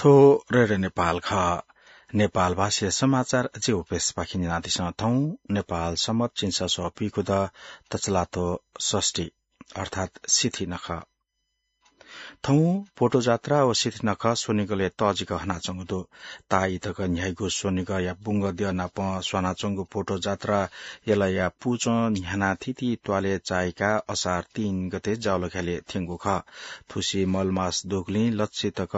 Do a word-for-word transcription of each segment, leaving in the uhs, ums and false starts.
थ्व रेडियो नेपाल खः। नेपाल भाषाया समाचार ज्यू प्रेसपाखें न्यनादिसँ। थौं नेपाल सम्बत झिंछसः पिखुद तछलातो षष्ठी अर्थात् सिथि नखः। थौं भोटो जात्रा व सिथि नखः स्वनिगलय् तःजिक हनाच्वंगु दु। ताःई तक न्ह्याइगु स्वनिगःया बुंगद्यः नाप स्वानाच्वंगु भोटो जात्रा यलया पुचं न्ह्यानाः थीथी त्वालय् चाय्काः असार तीन गते जावलाख्यलय् थ्यंगु खः। थुसी मलमास दुगुलिं लच्छि तक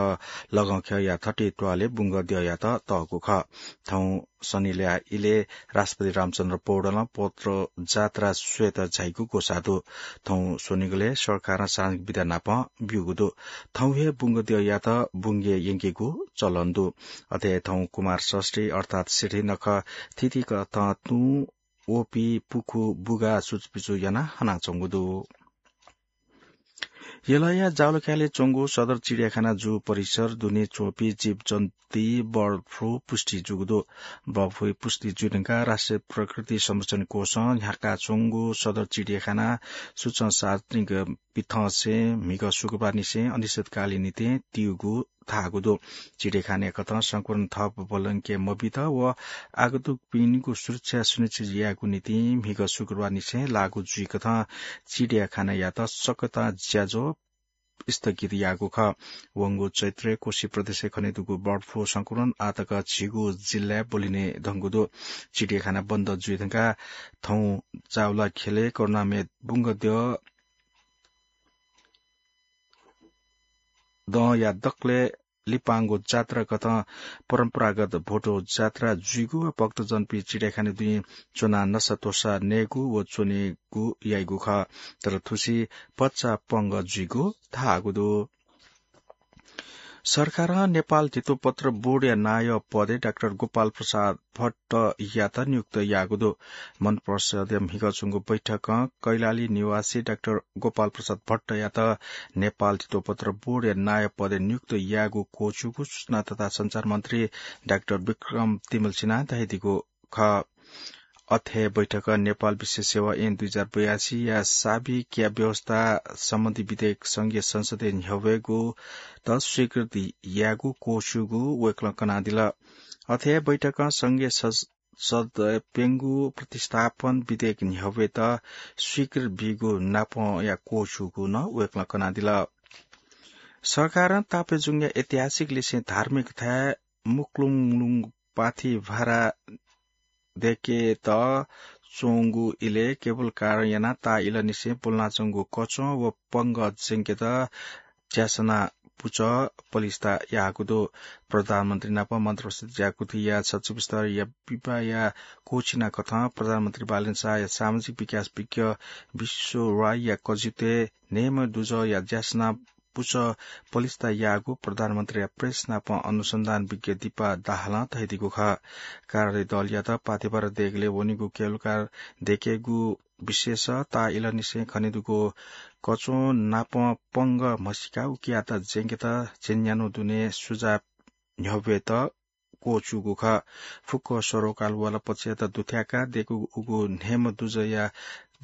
लगंख्यःया थथे त्वालय् बुंगद्यःयात तःगु खः। थौं सनिलया इलय् राष्ट्रपति रामचन्द्र पौडेलं भोटो जात्रा स्वयेत झाइगु ग्वसाः दु। थौं स्वनिगलय् सरकारं सार्वजनिक बिदा नाप ब्यूगु दु। थौं हे बुंगद्यःयात बुंगय् यंकेगु चलन दु। अथे थौं कुमार षष्ठी अर्थात् सिथि नखः थीथी कथं तुं, ओपी, पुखू, बुगा सुचुपिचु यानाः हनाच्वंगु दु। यलया जावलाख्यलय् च्वंगु सदर चिडियाखाना जू परिसर दुने च्वंपिं जीवजन्तुइ बर्ड फ्लू पुष्टि जूगु दु। बर्ड फ्लू पुष्टि जुइधुंकाः राष्ट्रिय प्रकृति संरक्षण कोषं न्ह्याकाच्वंगु सदर चिडियाखाना सूचं सार्वजनिक पिथंसें म्हिगः शुक्रबारनिसें अनिश्चितकालया निंतिं त्यूगु धाःगु दु। चिडियाखानाया कथं संक्रमण थप ब्वलंके मबीत व आगन्तुकपिनिगु सुरक्षा सुनिश्चित यायेगु निंतिं म्हिगः शुक्रबारनिसें लागू जुइकथं चिडियाखानायात सकतां ज्याझ्वः स्थगित याःगु खः। वंगु चैत्रय् कोशी प्रदेशय् खनेदुगु बर्ड फ्लू संक्रमण आःतक झिगू जिल्लाय् ब्वलिने धंगु दु। चिडियाखाना बन्द जुइधुंकाः थौं जावलाख्यलय् करोनाम्ह बुंगद्यः दँया दकलय् लिपांगु जात्रा कथं परम्परागत भोटो जात्रा जुइगु व भक्तजनपिं चिडियाखाना दुने च्वनाः नसा त्वसा नयेगु व च्वनेगु याइगु खः। तर थुसी भचा पंगः जुइगु धाःगु दु। सरकारं नेपाल धितोपत्र बोर्डया नायः पदय् डाक्टर गोपाल प्रसाद भट्टयात नियुक्त याःगु दु। मन्त्रिपरिषदया म्हिगः च्वंगु बैठकं कैलाली निवासी डाक्टर गोपाल प्रसाद भट्टयात नेपाल धितोपत्र बोर्डया नायः पदय् नियुक्त याःगु क्वःछिउगु सूचना तथा सञ्चार मन्त्री डाक्टर विक्रम तिमल्सिनां धयादीगु खः। अथे बैठकं नेपाल विशेष सेवा ऐन दुई हजार बयासीया साबिकया व्यवस्था सम्बन्धी विधेयक संघीय संसदय् न्ह्यब्वयेगुत स्वीकृति यायेगु क्वःछिउगु वय्कलं कनादिल। अथे बैठकं संघीय सं-, संसदय् प्यंगू प्रतिस्थापन विधेयक न्ह्यब्वयेत स्वीकृति बीगु नापंया क्वःछिउगु नं वय्कलं कनादिल। सरकारं ताप्लेजुङया ऐतिहासिक लिसें धार्मिक थाय् मुक्लुङलुङ पाथिभारा दय्केत च्वंगु इलय् केबल कार यानाः ताः इलंनिसें ब्वलनाच्वंगु कचं व पंगः ज्यंकेत ज्यासना पुचः पलिस्था याःगु दु। प्रधानमन्त्री नाप मन्त्रिपरिषद ज्याकुथिया सचिव स्तरया विवाहया क्वःछिना कथं प्रधानमन्त्री बालेन शाहया सामाजिक विकास विज्ञ विश्व राईया कजितय् न्हय्म्ह दुजःया ज्यासना पुचः पलिस्था याःगु प्रधानमन्त्रीया प्रेस नाप अनुसन्धान विज्ञ दीपा दाहालं धयादीगु खः। कार्यालय दलयात पाथिभारा दय्केलय् वनीगु केबल कार दय्केगु विषयस ताः इलंनिसें खनेदुगु कचं नाप पंगः म्हसीकाः उकियात ज्यंकेत झिंन्यान्हु दुने सुझाव न्ह्यब्वयेत क्वःछिउगु खः। फुक्क सरोकारवाला पक्षयात दुथ्याकाः दय्कूगु उगु न्हय्म्ह दुजःया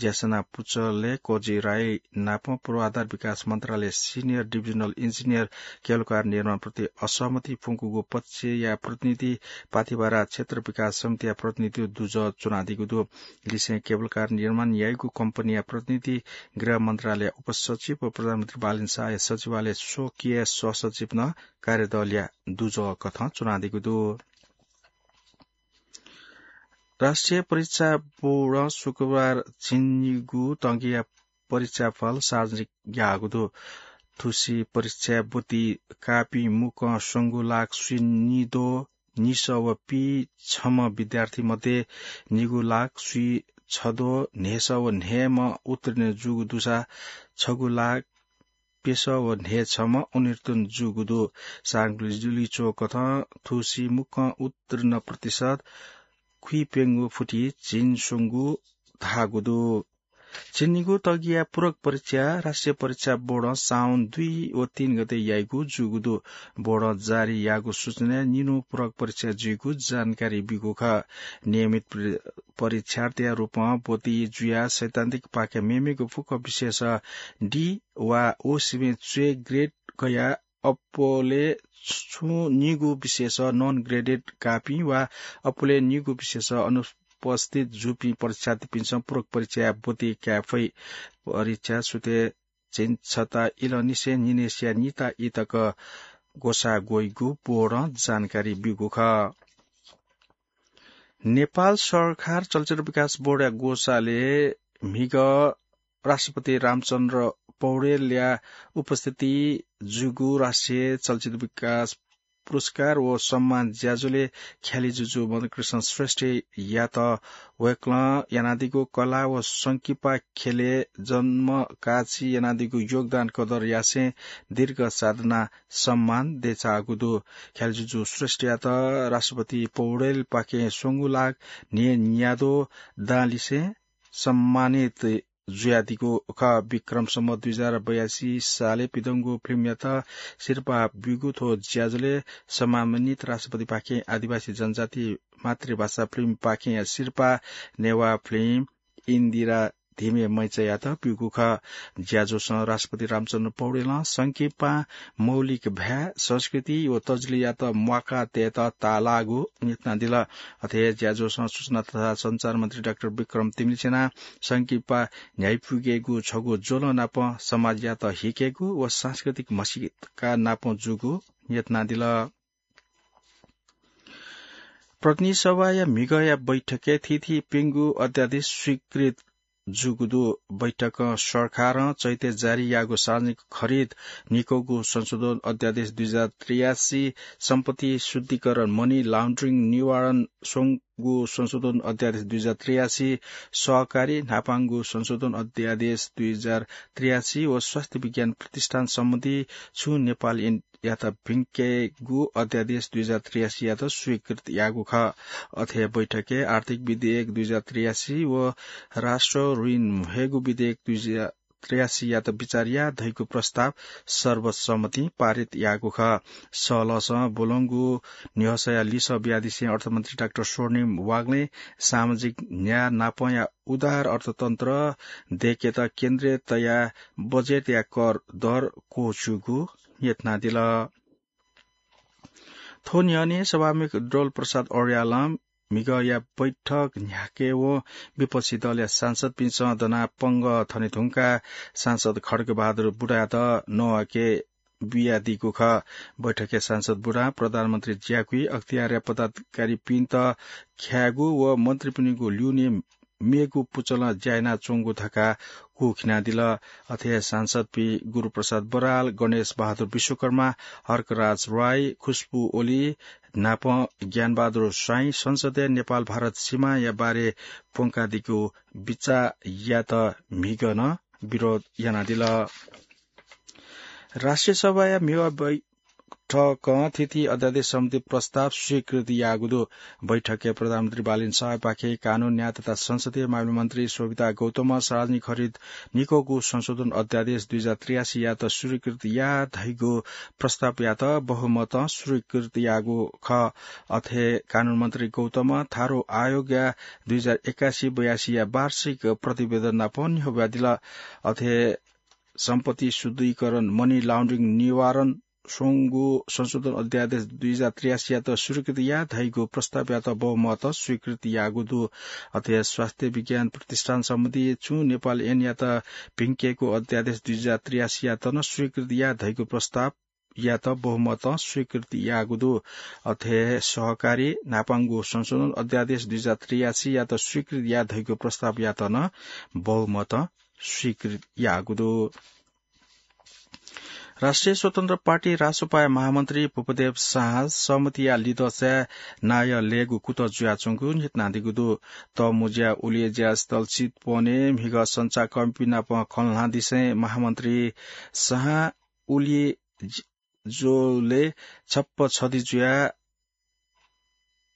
ज्यासना पुचलय् कजि राई नाप पूर्वाधार विकास मन्त्रालय senior divisional engineer cable car निर्माणप्रति असहमति फ्वंकूगु पक्षया प्रतिनिधि, पाथिभारा क्षेत्र विकास समितिया प्रतिनिधि दुजः च्वनादीगु दु। लिसें केबल कार निर्माण याइगु कम्पनीया प्रतिनिधि, गृह मन्त्रालय उपसचिव व प्रधानमन्त्री बालेन शाहया सचिवालय स्वकीय सहसचिव नं कार्यदलया दुजः कथं च्वनादीगु दु। राष्ट्रिय परीक्षा बोर्डं शुक्रबार झिंनिगू तगिया परीक्षाफल सार्वजनिक याःगु दु। थुसी परीक्षाय् ब्वति काःपिं मुक्कं स्वंगू लाख स्वीनिद्वः निसः व पीछम्ह विद्यार्थी मध्ये निगू लाख स्वीछद्वः न्हय्सः व न्हय्म्ह उत्तीर्ण जूगु दुसा छगू लाख प्यसः व न्हय्छम्ह अनुत्तीर्ण जूगु दु। सार्वजनिक जुलिच्वः कथं थुसी मुक्कं उत्तीर्ण प्रतिशत खुइप्यंगू फुति झिंस्वंगू धाःगु दु। झिंनिगू तगिया पूरक परीक्षा राष्ट्रिय परीक्षा बोर्डं साउन दुई व तीन गते याइगु जूगु दु। बोर्डं जारी याःगु सूचनाय् निन्हु पूरक परीक्षा जुइगु जानकारी बीगु खः। नियमित प्र-, परीक्षार्थीया रूपं ब्वति जुयाः सैद्धान्तिक पाखे मेमेगु फुक्क विषयस D वा O सिमे च्वय् grade कयाः अप्वलय् छुं निगू विषयस non graded काःपिं वा अप्वलय् निगू विषयस अनुपस्थित जूपिं परीक्षार्थीपिन्सं पूरक परीक्षाय् ब्वति काये फइ। परीक्षा सुथय् झिंछता इलंनिसें निन्हय्सिया निता ई तक ग्वसाः ग्वइगु बोर्डं जानकारी ब्यूगु खः। नेपाल सरकार चलचित्र विकास बोर्डया ग्वसालय् म्हिगः राष्ट्रपति रामचन्द्र पौडेलया उपस्थिति जूगु राष्ट्रिय चलचित्र विकास पुरस्कार व सम्मान ज्याझ्वलय् ख्यालि जुजु मदनकृष्ण श्रेष्ठयात वय्कलं यानादीगु कला व संकिपा ख्यलय् जन्मकाछि यानादीगु योगदान कदर यासें दीर्घ साधना सम्मान देछाःगु दु। ख्यालि जुजु श्रेष्ठयात राष्ट्रपति पौडेलपाखें स्वंगू लाख न्हिं न्याद्वः दांलिसें सम्मानित जुयादीगु खः। विक्रम सम्वत दुई हजार बयासी सालय् पिदंगु फिल्मयात सिरपाः ब्यूगु थ्व ज्याझ्वलय् सम्मानित राष्ट्रपतिपाखें आदिवासी जनजाति मातृभाषा फिल्मपाखें सिरपाः नेवाः फिल्म इन्दिरा धिमे मैचायात ब्यूगु खः। ज्याझ्वलं राष्ट्रपति रामचन्द्र पौडेलं संकिपां मौलिक भाय्, संस्कृति व तजिलयात म्वाका तयेत ताःलाःगु न्ह्यथनादिल। अथे हे ज्याझ्वलं सूचना तथा सञ्चार मन्त्री डाक्टर विक्रम तिमिल्सिनां संकिपा न्ह्याइपुगेगु छगू ज्वलं नाप समाजयात हिकेगु व सांस्कृतिक म्हसीका नाप जूगु न्ह्यथनादिल। प्रतिनिधि सभाया म्हिगःया बैठकय् थीथी प्यंगू अध्यादेश स्वीकृत जूगु दु। बैठकं सरकारं चैतय् जारी याःगु सार्वजनिक खरिद निकःगु संशोधन अध्यादेश दुई हजार त्रियासी, सम्पत्ति शुद्धिकरण, money laundering निवारण स्वंगू संशोधन अध्यादेश दुई हजार त्रियासी, सहकारी न्हापांगु संशोधन अध्यादेश दुई हजार त्रियासी व स्वास्थ्य विज्ञान प्रतिष्ठान सम्बन्धी छुं नेपाल ऐन यात भिंकेगु अध्यादेश दुई हजार त्रियासीयात स्वीकृत याःगु खः। अथे बैठकय् आर्थिक विधेयक दुई हजार त्रियासी व राष्ट्र ऋण म्हेगु विधेयक दुई हजार त्रियासीयात विचार याः धइगु प्रस्ताव सर्वसम्मतिं पारित याःगु खः। सलसं ब्वलंगु न्ह्यसःया लिसः बियादिसें अर्थमन्त्री डाक्टर स्वर्णिम वाग्लें सामाजिक न्याय नापंया उदार अर्थतन्त्र दयेकेत केन्द्रय् तयाः बजेटया कर दर क्वःछ्यूगु न्ह्यथनादिल। थ्व न्ह्यःने सभामुख डोल प्रसाद अर्यालं म्हिगःया बैठक न्ह्याकेवं विपक्षी दलया सांसदपिन्सं दनाः पंगः थने धुंकाः सांसद खड्गबहादुर बुढायात नवाके बियादीगु खः। बैठकय् सांसद बुढां प्रधानमन्त्री ज्याकुइ अख्तियारया पदाधिकारीपिन्त ख्यायेगु व मन्त्रीपिनिगु ल्यूने मेगु पुचलं ज्या यानाच्वंगु धकाः कुखिनादिल। अथे हे सांसदपिं गुरुप्रसाद बराल, गणेश बहादुर विश्वकर्मा, हर्कराज राई, खुशबु ओली नाप ज्ञानबहादुर स्वाइं संसदय् नेपाल भारत सीमाया बारे प्वंकादीगु बिचाः यात म्हिगः नं विरोध यानादिल। राष्ट्रिय सभाया म्हिगः बैठकं थीथी अध्यादेश सम्बन्धी प्रस्ताव स्वीकृत याःगु दु। बैठकय् प्रधानमन्त्री बालेन शाहपाखें कानून, न्याय तथा संसदीय मामिला मन्त्री शोभिता गौतमं सार्वजनिक खरिद निकःगु संशोधन अध्यादेश दुई हजार त्रियासीयात स्वीकृत याः धइगु प्रस्तावयात बहुमतं स्वीकृत याःगु खः। अथे कानून मन्त्री गौतमं थारु आयोगया दुई हजार एकासी बयासीया वार्षिक प्रतिवेदन नाप न्ह्यब्वयादिल। अथे सम्पत्ति शुद्धिकरण, money laundering निवारण स्वंगु संशोधन अध्यादेश दुई हजार त्रियासीयात स्वीकृत याः धइगु प्रस्तावयात बहुमतं स्वीकृत याःगु दु। अथे स्वास्थ्य विज्ञान प्रतिष्ठान सम्बन्धी छुं नेपाल ऐनयात भिंकेगु अध्यादेश दुई हजार त्रियासीयात नं स्वीकृत याः धइगु प्रस्तावयात बहुमतं स्वीकृत याःगु दु। अथे सहकारी न्हापांगु संशोधन अध्यादेश दुई हजार त्रियासीयात स्वीकृत याः धइगु प्रस्तावयात नं बहुमतं स्वीकृत याःगु दु। राष्ट्रिय स्वतन्त्र पार्टी रासोपाया महामन्त्री भूपदेव शाह सहमतिया लिदँसाय् नायः लयेगु कुतः जुयाच्वंगु न्ह्यथनादीगु दु। तःमुँज्या उलियज्या स्थल चितवनय् म्हिगः संचारकर्मीपिं नाप खँ ल्हानादिसें महामन्त्री शाहं उलियज्या ज्वलय् छप्पँ छधि जुयाः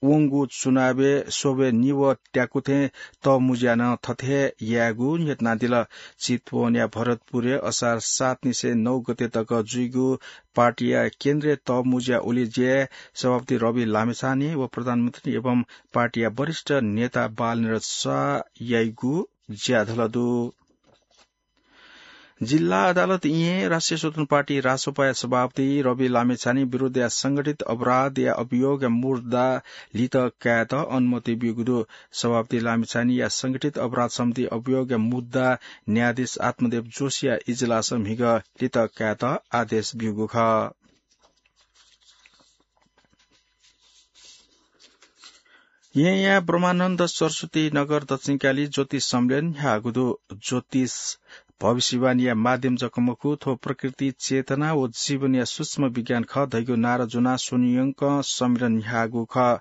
वंगु चुनावय् स्वब्वय् निवः त्याकु थें तःमुँज्यां नं थथे हे यायेगु न्ह्यथनादिल। चितवनया भरतपुरय् असार सात निसें नौ गते तक जुइगु पार्टीया केन्द्रीय तःमुँज्या उलियज्याय् सभापति रवि लामिछाने व प्रधानमन्त्री एवं पार्टीया वरिष्ठ नेता बालनिरज शाह याइगु ज्याझ्वः दु। जिल्ला अदालत इहें राष्ट्रिय स्वतन्त्र पार्टी रासोपाया सभापति रवि लामिछाने विरुद्धया संगठित अपराधया अभियोगया मुद्दा लित कायेत अनुमति ब्यूगु दु। सभापति लामिछानेया संगठित अपराध सम्बन्धी अभियोगया मुद्दा न्यायाधीश आत्मदेव जोशीया इजलासं म्हिगः लित कायेत आदेश ब्यूगु खः। येँया ब्रह्मानन्द सरस्वती नगर दक्षिणकाली ज्योतिष सम्मेलन न्ह्याःगु दु। ज्योतिष भविष्यवाणीया माध्यम जक मखु, थ्व प्रकृति, चेतना व जीवनया सूक्ष्म विज्ञान खः धइगु नारा ज्वनाः स्वनियंकं सम्मेलन न्ह्याःगु खः।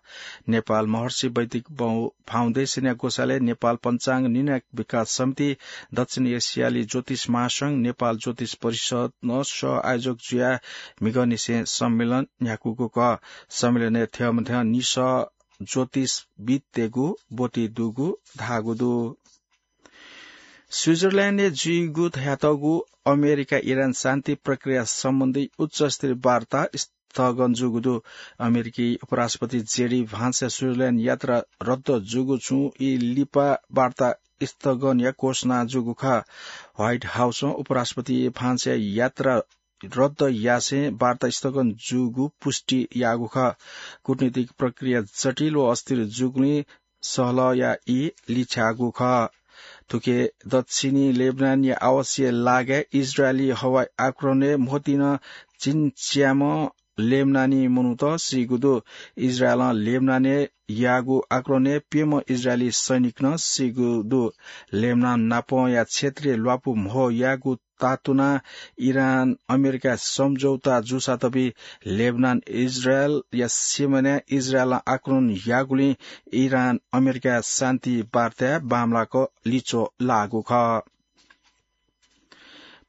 नेपाल महर्षि वैदिक बौ-, फाउन्डेसनया ग्वसालय् नेपाल पञ्चाङ्ग निर्णायक विकास समिति, दक्षिण एसियाली ज्योतिष महासंघ, नेपाल ज्योतिष परिषदं सह आयोजक जुयाः म्हिगःनिसें सम्मेलन न्ह्याकूगु खः। सम्मेलनय् थ्यंमथ्यं निसः ज्योतिषविद्तय्गु ब्वति दुगु धाःगु दु। स्विजरल्याण्डय् जुइगु धयातःगु अमेरिका इरान शान्ति प्रक्रिया सम्बन्धी उच्चस्तरीय वार्ता स्थगन जूगु दु। अमेरिकी उपराष्ट्रपति जेडी भान्सया स्विजरल्याण्ड यात्रा रद्द जूगु छुं ई लिपा वार्ता स्थगनया घोषणा जूगु खः। व्हाइट हाउसं उपराष्ट्रपति भान्सया यात्रा रद्द यासें वार्ता स्थगन जूगु पुष्टि याःगु खः। कूटनीतिक प्रक्रिया जटिल व अस्थिर जूगुलिं सहलहया ई लिछ्याःगु खः। थुके दक्षिणी लेबनानया आवासीय लागाय् इजरायली हवाई आक्रमणय् म्होतिं झिंच्याम्ह लेबनानी मनूत सीगु दु। इजरायलं लेबनानय् याःगु आक्रमणय् प्यम्ह इजरायली सैनिक नं सीगु दु। लेबनान नापंया क्षेत्रीय ल्वापु म्हो याःगु तातुना इरान अमेरिका सम्झौता जूसातपि लेबनान इजरायलया सीमानाय् इजरायलं आक्रमण याःगुलिं इरान अमेरिका शान्ति वार्ताय् बांमलाक लिच्वः लाःगु खः।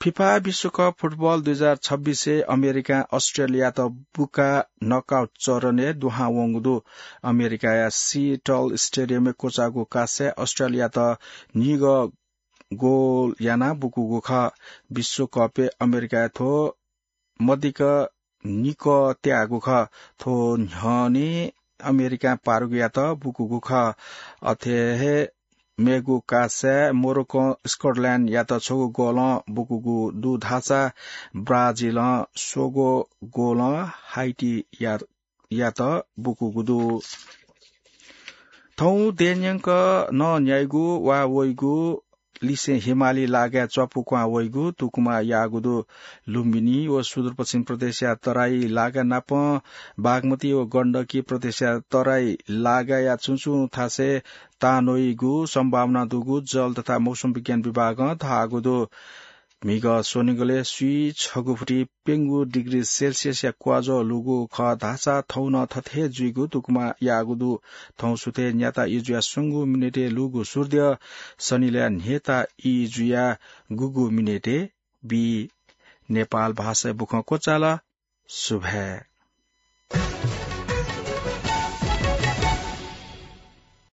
फिफा विश्वकप फुटबल दुई हजार छब्बीसय् अमेरिकां अस्ट्रेलियात बुकाः नकआउट चरणय् दुहां वंगु दु। अमेरिकाया सिएटल स्टेडियमय् क्वचाःगु कासाय् अस्ट्रेलियात निगः गोल यानाः बुकूगु खः। विश्वकपय् अमेरिकाया थ्व मदिक्क निकः त्याःगु खः। थ्व न्ह्यःने अमेरिकां पारुगुयात बुकूगु खः। अथे हे मेगु कासाय् मोरोक्कों स्कटल्याण्डयात छगू गोलं बुकूगु दु धाःसा ब्राजिलं स्वंगू गोलं हाइटीया यात बुकूगु दु। थौं देय्‌न्यंक नं न्याइगु वा वइगु लिसें हिमाली लागाय् च्वापु क्वहां वइगु तुकुमा याःगु दु। लुम्बिनी व सुदूरपश्चिम प्रदेशया तराई लागा नापं बागमती व गण्डकी प्रदेशया तराई लागाया छुं छुं थासय् तांन्वइगु सम्भावना दुगु जल तथा मौसम विज्ञान विभागं धाःगु दु। म्हिगः स्वनिगलय् स्वीछगू फुति प्यंगू डिग्री सेल्सियसया क्वाज्वः लूगु खः धाःसा थौं नं थथे हे जुइगु तुकुमा याःगु दु। थौं सुथय् न्याता ई जुयाः स्वंगू मिनेटय् लूगु सूर्द्यः सनिलय् न्हय्ता ई जुयाः गुगू मिनेटय् बी। नेपाल भाषाय् बुखँ क्वचाल। सुभाय्।